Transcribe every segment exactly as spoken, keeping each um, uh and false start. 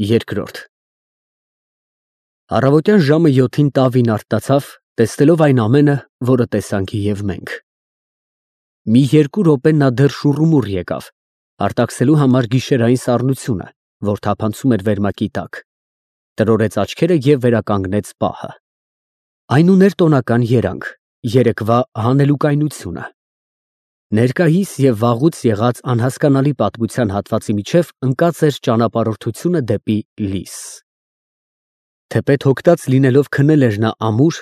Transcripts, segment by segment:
Երկրորդ Առավոտյան ժամը յոթին Տավին արթնացավ, տեսնելով այն ամենը, որը տեսանք և մենք։ Մի երկու րոպե նա դեռ շուռումուռ եկավ, արտաքսելու համար գիշերային սառնությունը, որ թափանցում էր վերմակի տակ, տրորեց աչքերը և վերականգնեց պահը։ Այն ուներ տոնական երանգ, երեկվա հանելուկայնությունը։ Ներկայիս և վաղուց եղած անհասկանալի պատմության հատվածի միջև ընկած էր ճանապարհորդությունը դեպի լույս։ Թեպետ հոգտած լինելով քնել էր նա ամուր,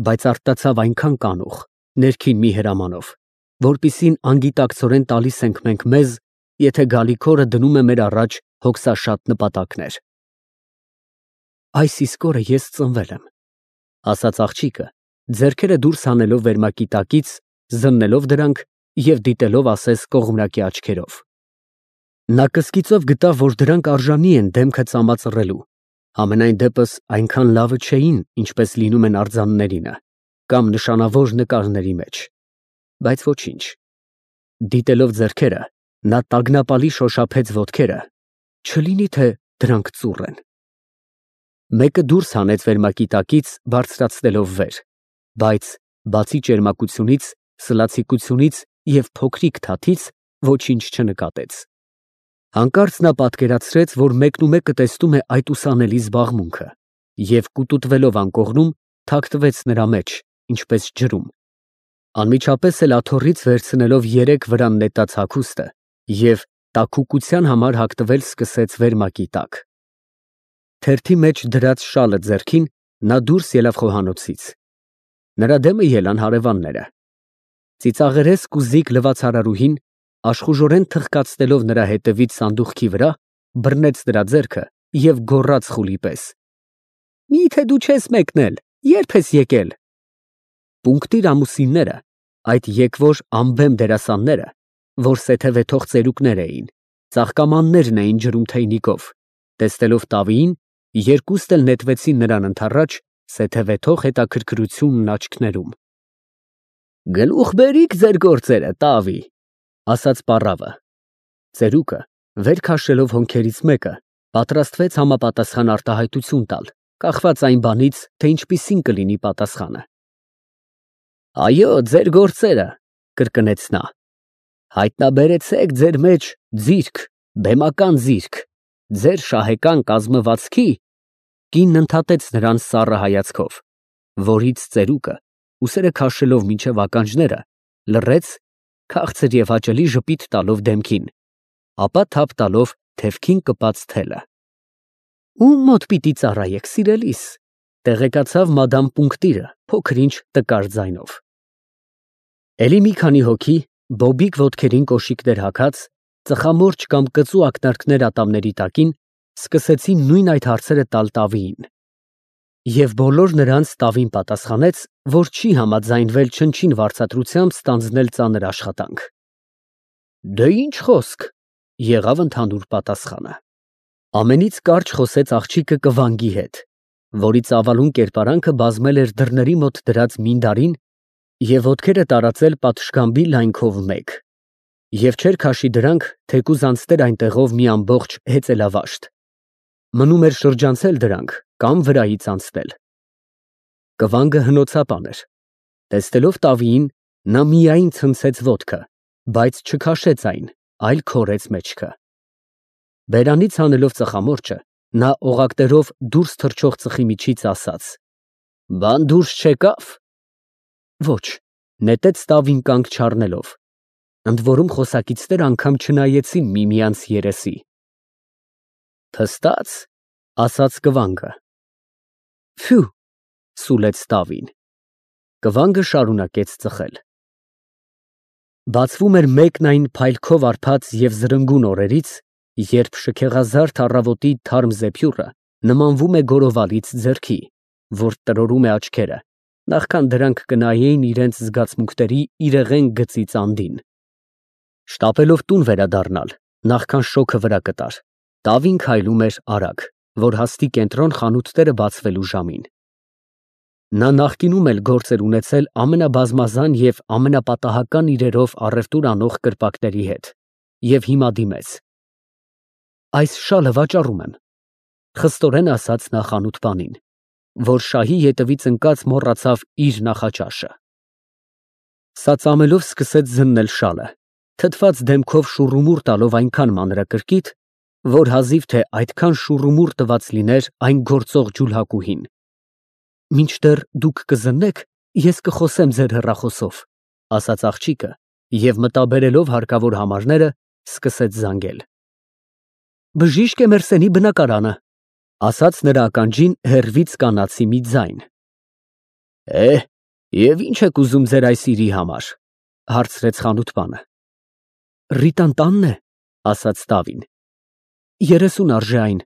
բայց արթնացավ այնքան կանուխ, ներքին մի հրամանով, որպիսին անգիտակցորեն տալիս ենք մենք մեզ, եթե գալիք օրը դնում է մեր առաջ հոգսաշատ նպատակներ։ Այս իսկ օրը ես ծնվել եմ, ֊ ասաց աղջիկը, ձեռքերը դուրս հանելով վերմակի տակից, զննելով դրանք և դիտելով ասես կողմնակի աչքերով։ Նա կսկիծով գտավ, որ դրանք արժանի են դեմքը ծամածռելու, համենայն դեպս այնքան լավը չէին, ինչպես լինում են արձաններինը, կամ նշանավոր նկարների մեջ, բայց ոչինչ, դիտելով ձեռքերը, նա տագնապալի շոշափեց ոտքերը, չլինի թե դրանք ծուռ են։ Մեկը դուրս հանեց վերմակի տակից, բարձրացնելով վեր, բայց բացի ճերմակությունից, սլացիկությունից և փոքրիկ թաթից ոչինչ չնկատեց։ Հանկարծ նա պատկերացրեց, որ մեկնումեկը տեսնում է այդ ուսանելի զբաղմունքը և, կուտուտվելով անկողնում, թաքնվեց նրա մեջ, ինչպես ջրում, անմիջապես էլ աթոռից վերցնելով երեք վրան նետած հագուստը և տաքուկության համար հագնվել սկսեց վերմակի տակ։ Թերթի մեջ դրած շալը ձեռքին, նա դուրս ելավ խոհանոցից։ Նրա դեմը ելան հարևանները։ Ծիծաղերես կուզիկ լվացարարուհին, աշխուժորեն թխկացնելով նրա հետևից սանդուղքի վրա, բռնեց նրա ձեռքը և գոռաց խուլի պես. «Մի՞թե դու չես մեկնել, ե՞րբ ես եկել»։ Պունկտիր ամուսինները, այդ եկվոր անբեմ դերասանները, որ սեթևեթող ծերուկներ էին, ծաղկամաններն էին ջրում թեյնիկով, տեսնելով Տավիին, երկուստ էլ նետվեցին նրան ընդառաջ, սեթևեթող հետաքրքրությունն աչքներում։ «Գլուխ բերիք ձեր գործերը, Տավի», ֊ ասաց պառավը։ Ծերուկը, վեր քաշելով հոնքերից մեկը, պատրաստվեց համապատասխան արտահայտություն տալ, կախված այն բանից, թե ինչպիսին կլինի պատասխանը։ «Այո, ձեր գործերը», ֊ կրկնեց նա, ֊ հայտնաբերեցեք ձեր մեջ ձիրք, բեմական ձիրք, ձեր շահեկան կազմվածքի (կինն ընդհատեց նրան սառը հայացքով), որից ծերուկը, ուսերը քաշելով մինչև ականջները, լռեց, քաղցր և հաճելի ժպիտ տալով դեմքին, ապա թափ տալով թևքին կպած թելը։ «Ո՞ւմ մոտ պիտի ծառայեք, սիրելիս», ֊ տեղեկացավ մադամ Պունկտիրը փոքր֊ինչ տկար ձայնով։ Էլի մի քանի հոգի, բոբիկ ոտքերին կոշիկներ հագած, ծխամորճ կամ կծու ակնարկներ ատամների տակին, սկսեցին նույն այդ հարցերը տալ Տավիին։ Եվ բոլոր նրանց Տավին պատասխանեց, որ չի համաձայնվել չնչին վարձատրությամբ ստանձնել ծանր աշխատանք։ «Դե ինչ խոսք», ֊ եղավ ընդհանուր պատասխանը։ Ամենից կարճ խոսեց աղջիկը կվանգի հետ, որի ծավալուն կերպարանքը բազմել էր դռների մոտ դրած մինդարին և ոտքերը տարածել պատշգամբի լայնքով մեկ, և չէր քաշի դրանք, թեկուզ անցներ այնտեղով մի ամբողջ հեծելավաշտ, մնում էր շրջանցել դրանք կամ վրայից անցնել։ Կվանգը հնոցապան էր։ Տեսնելով Տավիին, նա միայն ցնցեց ոտքը, բայց չքաշեց այն, այլ քորեց մեջքը։ Բերանից հանելով ծխամորճը, նա օղակներով դուրս թռչող ծխի միջից ասաց. «Բան դուրս չեկա՞վ»։ Ոչ, նետեց Տավին կանգ չառնելով, ընդորում խոսակիցները անգամ չնայեցին միմյանց երեսի։ «Փստա՞ծ», ֊ ասաց կվանգը։ «Ֆյու», ֊ սուլեց Տավին։ Կվանգը շարունակեց ծխել։ Բացվում էր մեկն այն փայլքով արբած և զրնգուն օրերից, երբ շքեղազարդ առավոտի թարմ զեփյուռը նմանվում է գորովալից ձեռքի, որ տրորում է աչքերը, նախքան դրանք կնայեին իրենց զգացմունքների իրեղեն գծից անդին։ Շտապելով տուն վերադառնալ, նախքան շոգը վրա կտար, Տավին քայլում էր արագ, որ հասնի կենտրոն խանութները բացվելու ժամին։ Նա նախկինում էլ գործ էր ունեցել ամենաբազմազան և ամենապատահական իրերով առևտուր անող կրպակների հետ և հիմա դիմեց. «Այս շալը վաճառում եմ»։ Խստորեն ասաց նա խանութպանին, որ շահի ետևից ընկած մոռացավ իր նախաճաշը։ Սա ծամելով սկսեց զննել շալը, թթված դեմքով շուռումուռ տալով այնքան մանրակրկիտ, որ հազիվ թե այդքան շուռումուռ տված լիներ այն գործող ջուլհակուհին։ Մինչդեռ դուք կզննեք, ես կխոսեմ ձեր հեռախոսով, ասաց աղջիկը և մտաբերելով հարկավոր համարները, սկսեց զանգել։ Բժիշկ Էմերսենի բնակարանը, ասաց նրա ականջին հեռվից կանացի մի ձայն։ Է, և ի՞նչ եք ուզում ձեր այս իրի համար, հարցրեց խանութպանը։ Ռիտան տանն է, ասաց տավին։ Երեսուն արժե այն,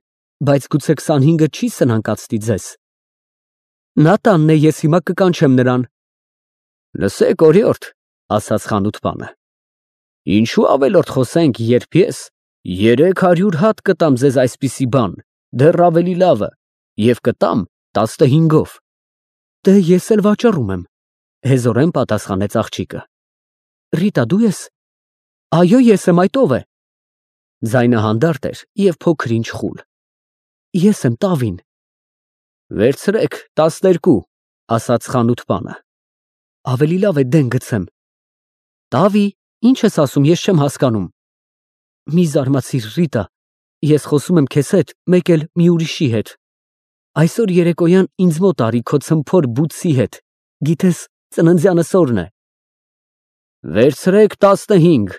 բայց գուցե քսանհինգը չի սնանկացնի ձեզ։ Նա տանն է, ես հիմա կկանչեմ նրան։ Լսեք, օրիորդ, ասաց խանութպանը, ինչու ավելորդ խոսենք, երբ ես երեք հարյուր հատ կտամ ձեզ այսպիսի բան, դեռ ավելի լավը, և կտամ տասնհինգով։ Դե ես էլ վաճառում եմ, հեզորեն պատասխանեց աղջիկը։ Ռիտա, դու ես։ Այո, ես եմ, այդ ով է։ Ձայնը հանդարտ էր և փոքր-ինչ խուլ։ Ես եմ տավին։ Վերցրեք տասներկու, ասաց խանութպանը։ Ավելի լավ է դեն գցեմ։ Տավի, ինչ ես ասում, ես չեմ հասկանում։ Մի զարմացիր, Ռիտա, ես խոսում եմ քեզ հետ, մեկ էլ մի ուրիշի հետ։ Այսօր երեկոյան ինձ մոտ արի քո ցմփոր բութսի հետ, գիտես, ծննդյանս օրն է։ Վերցրեք տասնհինգ,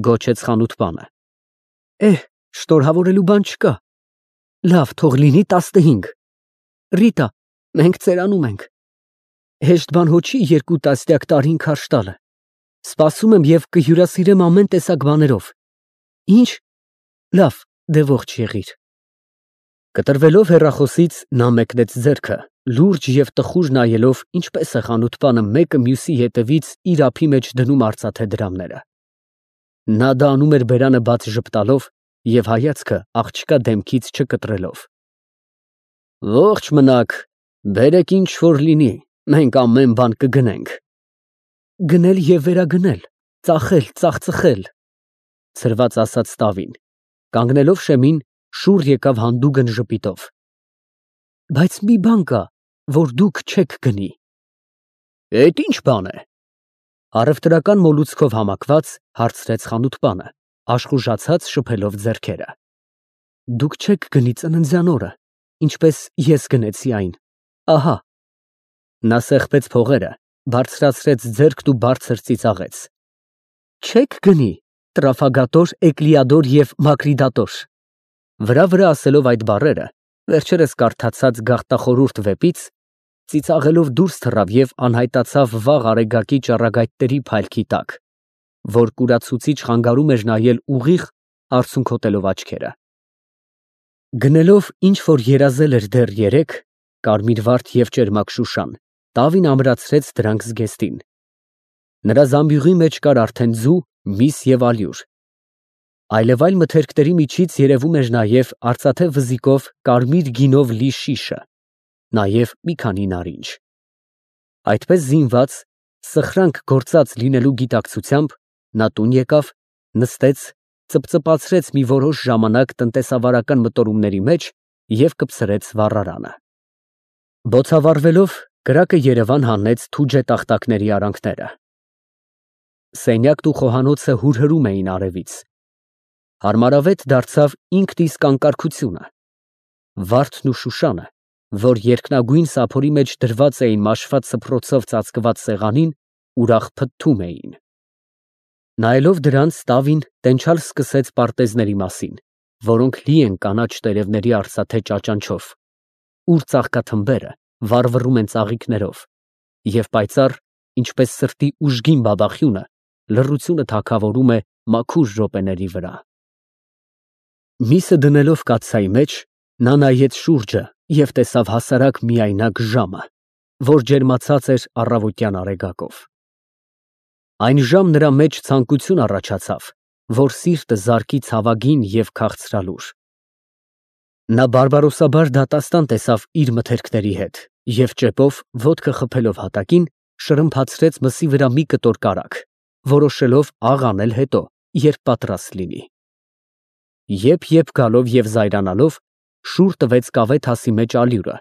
գոչեց խանութպանը։ Էհ, շնորհավորելու բան չկա։ Լավ, թող լինի տասնհինգ։ Ռիտա, մենք ծերանում ենք։ Հեշտ բան հո չի երկու տասնյակ տարին քարշ տալը։ Սպասում եմ և կհյուրասիրեմ ամեն տեսակ բաներով։ Ինչ։ Լավ, դե ողջ եղիր։ Կտրվելով հեռախոսից նա մեկնեց ձեռքը, լուրջ և տխուր նայելով, ինչպես է խանութպանը մեկը մյուսի հետևից իր ափի մեջ դնում արծաթե դրամները։ Նա դա անում էր բերանը բաց ժպտալով և հայացքը աղջկա դեմքից չկտրելով։ Ողջ մնաք, բերեք ինչ որ լինի, մենք ամեն բան կգնենք։ Գնել և վերագնել, ծախել, ծախծխել, ցրված ասաց տավին, կանգնելով շեմին, շուռ եկավ հանդուգն ժպիտով։ Բայց մի բան կա, որ դուք չեք գնի։ Էդ ինչ բան է։ Առևտրական մոլուցքով համակված հարցրեց խանութպանը, աշխուժացած շփելով ձեռքերը։ Դուք չեք գնի ծննդյան օրը, ինչպես ես գնեցի այն, ահա։ Նա սեղմեց փողերը, բարձրացրեց ձեռքն ու բարձր ծիծաղեց։ Չեք գնի, տրաֆագատոր, էկլիադոր և մակրիդատոր։ Վրա-վրա ասելով այդ բառերը, վերջերս կարդացած գաղտախորհուրդ վեպից, ծիծաղելով դուրս թռավ և անհայտացավ վաղ արեգակի ճառագայթների փայլքի տակ, որ կուրացուցիչ խանգարում էր նայել ուղիղ, արցունքոտելով աչքերը։ Գնելով ինչ որ երազել էր դեռ երեկ, կարմիրվարդ և ճերմակ շուշան, տավին ամրացրեց դրանք զգեստին։ Նրա զամբյուղի մեջ կար արդեն ձու, միս և ալյուր։ Այլևայլ մթերքների միջից երևում էր նաև արծաթե վզիկով կարմիր գինով լի շիշը, նաև մի քանի նարինջ։ Այդպես զինված, սխրանք գործած լինելու գիտակցությամբ, նա տուն եկավ, նստեց, ծպծպացրեց մի որոշ ժամանակ տնտեսավարական մտորումների մեջ և կպցրեց վառարանը։ Բոցավառվելով, կրակը Երևան հանեց թուջե տախտակների արանքները։ Սենյակն ու խոհանոցը հուրհրում էին արևից։ Հարմարավետ դարձավ ինքն իսկ անկարգությունը։ Վարդն ու շուշանը, որ երկնագույն սափորի մեջ դրված էին մաշված սփռոցով ծածկված սեղանին, ուրախ փթթում էին։ Նայելով դրանց, տավին տենչալ սկսեց պարտեզների մասին, որոնք լի են կանաչ տերևների արծաթե ճաճանչով, ուր ծաղկաթմբերը վառվռում են ծաղիկներով, և պայծառ, ինչպես սրտի ուժգին բաբախյունը, լռությունը թագավորում է մաքուր րոպեների վրա։ Միսը դնելով կաթսայի մեջ, նա նայեց շուրջը և տեսավ հասարակ միայնակ ժամը, որ ջերմացած էր առավոտյան արեգակով։ Այն ժամ նրա մեջ ցանկություն առաջացավ, որ սիրտը զարկի ցավագին և քաղցրալուր։ Նա բարբարոսաբար դատաստան տեսավ իր մթերքների հետ և ճեպով, ոտքը խփելով հատակին, շրմփացրեց մսի վրա մի կտոր կարագ, որոշելով աղ անել հետո, երբ պատրաստ լինի։ Եփ֊եփ գալով և զայրանալով, շուռ տվեց կավե թասի մեջ ալյուրը,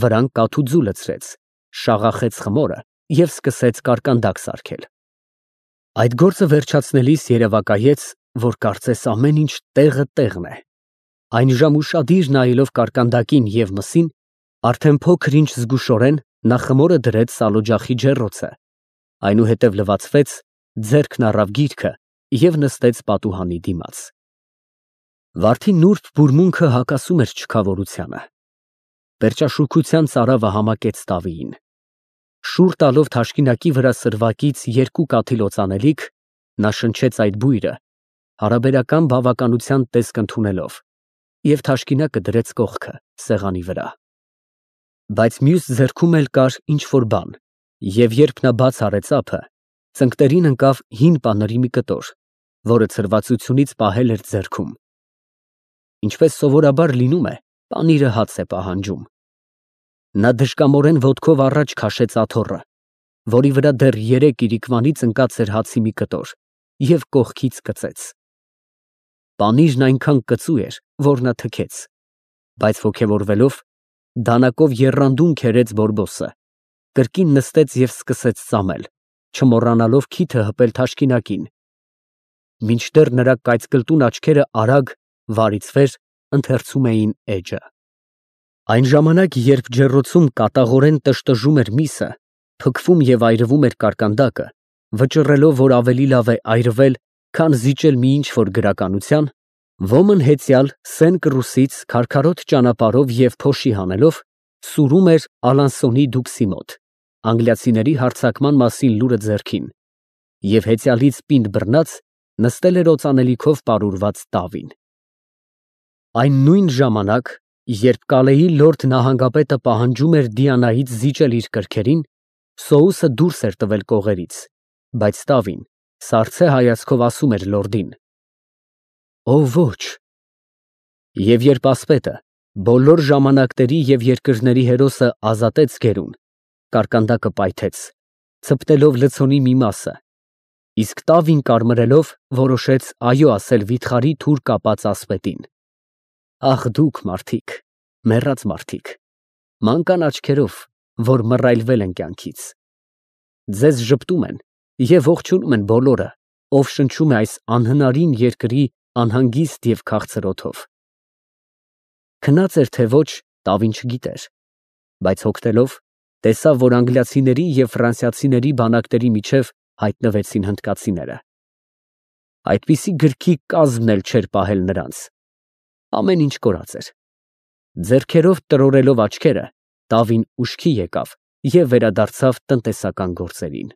վրան կաթու ձու լցրեց, շաղախեց խմորը և սկսեց կարկանդակ սարքել։ Այդ գործը վերջացնելիս երևակայեց, որ կարծես ամեն ինչ տեղը տեղն է։ Այն ժամ ուշադիր նայելով կարկանդակին և մսին, արդեն փոքր ինչ զգուշորեն նա խմորը դրեց սալօջախի ջեռոցը, այնուհետև լվացվեց, ձեռքն առավ գիրքը և նստեց պատուհանի դիմաց։ Վարդի նուրբ բուրմունքը հակասում էր չքավորությանը։ Պերճաշուքության ծարավը համակեց տավիին։ Շուռ տալով թաշկինակի վրա սրվակից երկու կաթիլ օծանելիք, նա շնչեց այդ բույրը, հարաբերական բավականության տեսք ընդունելով, և թաշկինակը դրեց կողքը, սեղանի վրա։ Բայց մյուս ձեռքում էլ կար ինչ֊որ բան, և երբ նա բաց արեց ափը, ծնկներին ընկավ հին պանրի մի կտոր, որը ցրվածությունից պահել էր ձեռքում։ Ինչպես սովորաբար լինում է, պանիրը հաց է պահանջում։ Նա դժկամորեն ոտքով առաջ քաշեց աթոռը, որի վրա դեռ երեք իրիկվանից ընկած էր հացի մի կտոր, և կողքից կծեց։ Պանիրն այնքան կծու էր, որ նա թքեց, բայց ոգևորվելով, դանակով եռանդուն քերեց բորբոսը, կրկին նստեց և սկսեց ծամել, չմոռանալով քիթը հպել թաշկինակին, մինչդեռ նրա կայծկլտուն աչքերը արագ, վարից վեր ընթերցում էին էջը։ Այն ժամանակ, երբ ջեռոցում կատաղորեն տրժտժում էր միսը, փքվում և այրվում էր կարկանդակը, վճռելով, որ ավելի լավ է այրվել, քան զիջել մի ինչ֊որ գրականության, ոմն հեծյալ սեն կռուսից քարքարոտ ճանապարհով և փոշի հանելով, սուրում էր Ալանսոնի դուքսի մոտ, անգլիացիների հարձակման մասին լուրը ձեռքին, և հեծյալից պինդ բռնած, նստել էր օծանելիքով պարուրված տավին։ Այն նույն ժամանակ, երբ Կալեի լորդ նահանգապետը պահանջում էր Դիանայից զիջել իր կրքերին, Սոուսը դուրս էր տվել կողերից, բայց տավին սառցե հայացքով ասում էր լորդին. «Օ ոչ»։ Եվ երբ ասպետը, բոլոր ժամանակների և երկրների հերոսը ազատեց գերուն, կարկանդակը պայթեց, ցպտելով լցոնի մի մասը, իսկ տավին կարմրելով, որոշեց այո ասել վիթխարի թուր կապած ասպետին։ Ախ դուք, մարդիկ, մեռած մարդիկ, մանկան աչքերով, որ մռայլվել են կյանքից, ձեզ ժպտում են և ողջունում են բոլորը, ով շնչում է այս անհնարին երկրի անհանգիստ և քաղցր օդով։ Քնած էր, թե ոչ, տավին չգիտեր, բայց հոգնելով, տեսավ, որ անգլիացիների և ֆրանսիացիների բանակների միջև հայտնվեցին հնդկացիները։ Այդպիսի գրքի կազմն էլ չէր պահել նրանց։ Ամեն ինչ կորած էր։ Ձեռքերով տրորելով աչքերը, տավին ուշքի եկավ և վերադարձավ տնտեսական գործերին։